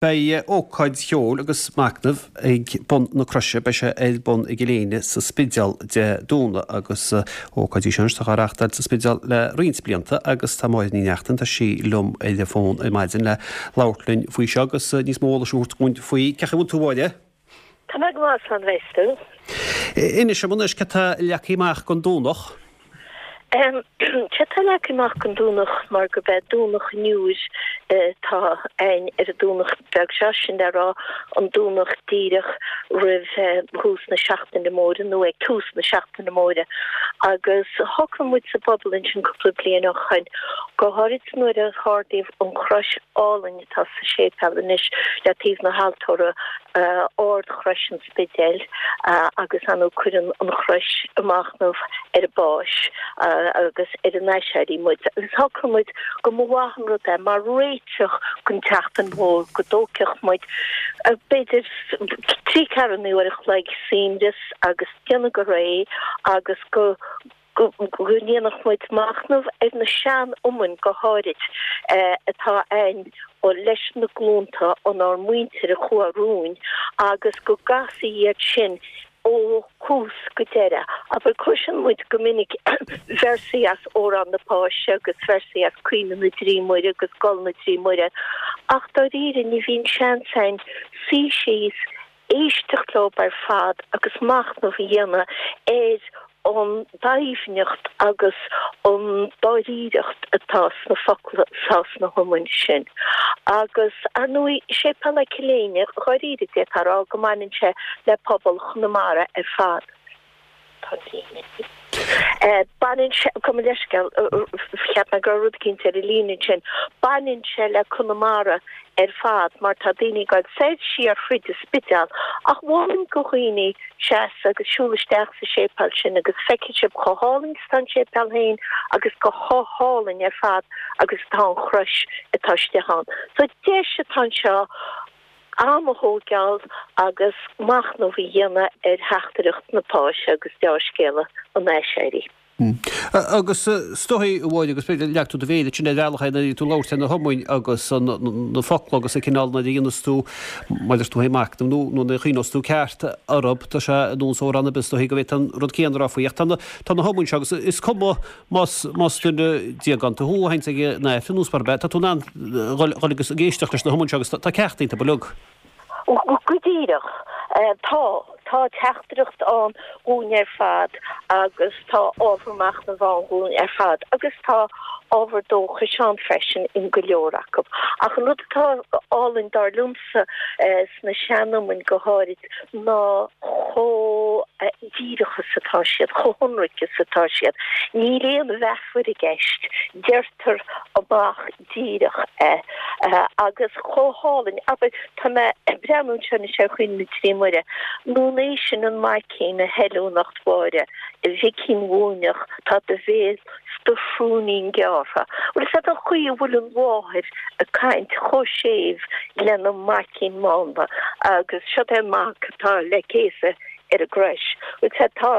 Beidh ócáid cheoil agus machnaimh ag bun na croise. Beidh sé ar bun i gCill Éinne sa Spidéal Dé Domhnaigh agus ócáid í seo anois atá á reáchtáil sa Spidéal le roinnt blianta agus tá Máire Ní Neachtain, tá sí liom ar an bhfón ar maidin le labhairt linn faoi seo agus níos mó eolais a thabhairt dúinn faoi. Cén chaoi a bhfuil tú a Mháire? Tá mé go maith, slán bheas tú. Inis dom anois cad tá leagtha amach don Domhnach. Céard tá leagtha amach don Domhnach mar gurb é Domhnach an Iúir atá againn ar an Domhnach beag seo, sin le rá an Domhnach díreach roimh thús na Seachtaine Móire nó ag tús na Seachtaine Móire. Agus shocraigh muid sa bpobal ansin cúpla bliain ó shoin, go háirid nuair a hardaíodh an chrois álainn atá sa séipéal anois le taobh na haltóra, Ard-Chrois an Spidéil agus ar ndóigh cuireann an chrois ag machnamh ar an bPáis agus ar an Aiséirí muid. Agus shocraigh muid go mba mhaith an rud é mar réiteach don tSeachtain Mhór go dtógfadh muid b'fhéidir trí ceathrú uair a chloig suaimhneas agus déanamh go réidh agus go go ndéanfadh muid machnamh ar na sean-iomainn go háirid atá againn leis na glúnta ónár muintir a chuaigh romhainn agus go gcasfaí iad sin ó thús go deireadh. Abair, cloiseann muid go minic véarsaí as Amhrán na Páise agus véarsaí as Caoineadh na dTrí Muire agus Gol na dTrí Muire ach dáiríre ní bhíonn seans againn suí síos, éisteacht leo ar fad agus machnamh a dhéanamh ar an doimhneacht agus an dáiríreacht atá sna focla atá sna hiomainn sin. Agus, ar ndóigh, Séipéal Chill Éinne, dháiríre, d'fhéadfá a rá go mbaineann sé le pobal Chonamara ar fad. Tá líne. Baineann sé, gabh mo leithscéal, cheap mé go raibh rud eicínt ar an líne ansin. Baineann sé le Conamara ar fad mar tá daoine ag dul soir siar thríd an Spidéal ach mholfainn go dhaoine seasamh agus siúl isteach sa séipéal sin agus feicfidh sibh chomh hálainn is atá an séipéal féin agus go chomh hálainn ar fad agus atá an chrois atá istigh ann. So deis atá anseo am a thóigeáil agus machnamh a dhéanamh ar theachtaireacht na Páise agus deá-scéala an Aiséirí. Agus is dóigh, a Mháire, agus b'fhéidir leag tú do mhéar ansin ar bhealach é nuair a bhí tú ag labhairt ar na hiomainn agus na focla agus an cineál nuair a dhéanas tú, mar a deir tú féin, machnamh nó nuair a chuimhneos tú ceart orthu, tá sé ar nós amhrán ar bith is dóigh go bhféadfá an rud céanna a rá faoi. Ach tá na hiomainn seo agus is cuma Más duine déagánta thú a théanns ag an Aifreann nó mar bith, tá tú in ann dhul agus ag éisteacht leis na hiomainn seo agus tá ceacht iontu uilig. Go díreach. Tá. Tá teachtaireacht ann dhúinn ar fad agus tá ábhar machnaimh ann dhúinn ar fad agus tá ábhar dóchais ann freisin in go leor acu. Ach an rud atá álainn dar liomsa sna sean-iomainn go háirid ná chomh díreach is atá siad, chomh hionraic is atá siad. Níl aon mheafar i gceist, deirtear amach díreach é. Agus chomh hálainn, abair, tá mé ag breathnú anseo anois ar Chaoineadh na dTrí Muire, nó an é sin an maicín a hoiliúnacht Mháire, a mhicín mhúineach, tá do bhéal 's do shrúinín gearrtha. Bhfuil fhios agat an chaoi a bhfuil an mháthair ag caint chomh séimh lena maicín mánla agus siod é an mac atá le céasadh ar an gcrois. Bhfuil fhios agat, tá,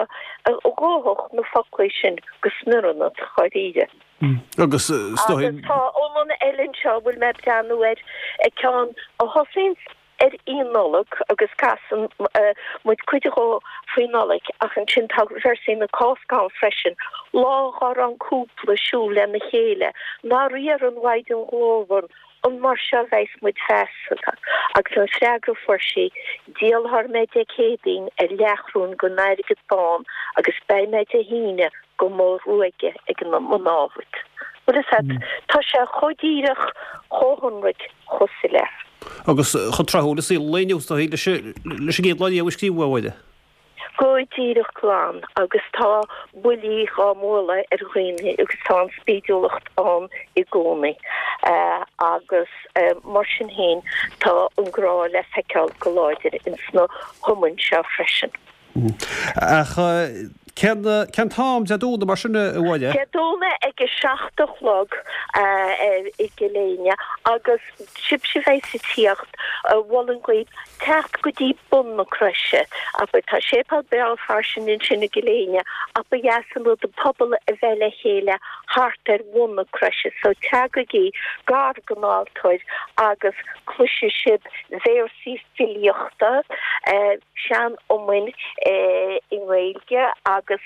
ghófadh na foclaí sin go smior ionat, dháiríre. Agus is dóigh. Agus tá iomann eile anseo a bhfuil mé ag breathnú air, ceann a thosaíonn ar Oíche Nollag agus casann muid cuid dhó faoi Nollaig ach ansin tá véarsaí na Cásca ann freisin, lá dhá raibh an cúpla ag siúl lena chéile, nár iarr an Mhaighdean Ghlórmhar an mar seo a bheas muid feasta? Agus an freagra a fuair sí, Díolfar mé Dé Céadaoin ar leathchróin den airgead bán agus beidh mé Dé hAoine go mo ruaigeadh ag mo námhaid. Bhfuil fhios agat, tá sé chomh díreach, chomh hionraic, chomh soiléir. Agus chomh tráthúil i saol an lae inniu, is dóigh, leis an gcéad lá riamh a scríobhadh, a Mháire. Go díreach glan, agus tá buillí dhá mbualadh ar dhaoine agus tá an spídiúlacht ann i gcónaí. Agus mar sin féin tá an grá le feiceáil go láidir ins na hiomainn seo freisin. Ach. Cén cén t-am Dé Domhnaigh mar sin a Mháire? Dé Domhnaigh ag a 7 a chlog i gCill Éinne agus sibhse a bheas ag tíocht, mholfainn dhaoibh teacht go dtí bun na croise. Abair, tá séipéal breá fairsing ansin i gCill Éinne ach ba dheas an rud an pobal a bheith le chéile thart ar bhun na croise. So teagaigí gar don altóir agus cloisfidh sibh véarsaí filíochta, sean-iomainn i nGaeilge agus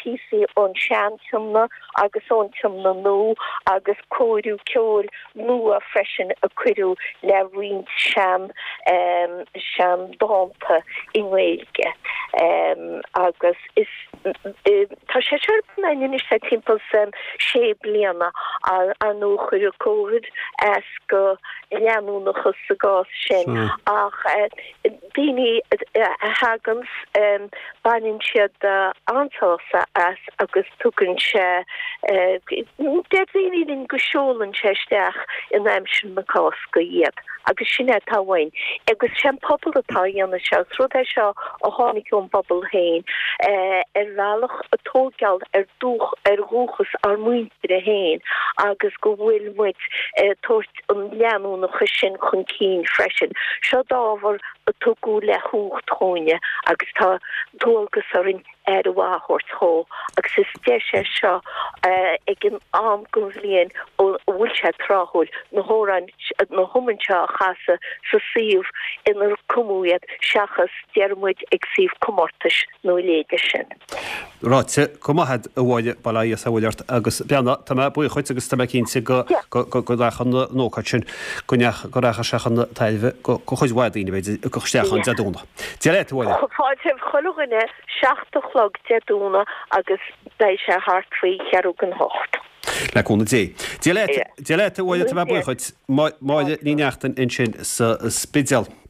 píosaí ón Sean-Tiomna agus ón Tiomna Nua agus cóiriú ceoil nua freisin a cuireadh le roinnt sean sean-dánta i nGaeilge agus is tá sé seo ar bun againn anois le timpeall is sé bliana ar ndóigh chuir Covid as do leanúnachas sa gcás sin ach daoine a thaganns, baineann siad an-sásamh as agus tugann sé, deir daoine linn go seolann sé isteach in aimsir na Cásca iad agus sin é atá uainn. Agus sé an pobal atá á dhéanamh seo, is rud é seo a tháinig ón bpobal féin, ar bhealach ag tóigeáil ar ar dhúchas ár muintire féin agus go bhfuil muid ag tabhairt an leanúnachas sin chun cinn freisin. Seo ábhar a tugadh le huacht chugainne agus tá dualgas orainn aire mhaith a thabhairt dhó agus is deis é seo ag an am den bhliain a bhfuil sé tráthúil na hamhráin, na hiomainn seo a chasadh sa suíomh inar cumadh iad seachas, déarfaidh muid, ag suíomh comórtais nó a leithéide sin. Ráite go maith agat a Mháire, bail ó Dhia is abhaile ort agus beannacht, tá mé buíoch dhuit agus tá mé cinnte go go rachaidh an ócáid sin, go ndeach go rachaidh sé chun tairbhe go chuid mhaith daoine b'fhéidir ag dul isteach ann Dé Domhnaigh. Dia leat a Mháire. Fáilte roimh chuile dhuine, 7 a chlog Dé Domhnaigh agus beidh sé thart faoi cheathrú don hocht. Le cúnamh Dé. Dia leat, Dia leat a Mháire, tá mé buíoch dhuit. Máire Ní Neachtain ansin sa Spidéal.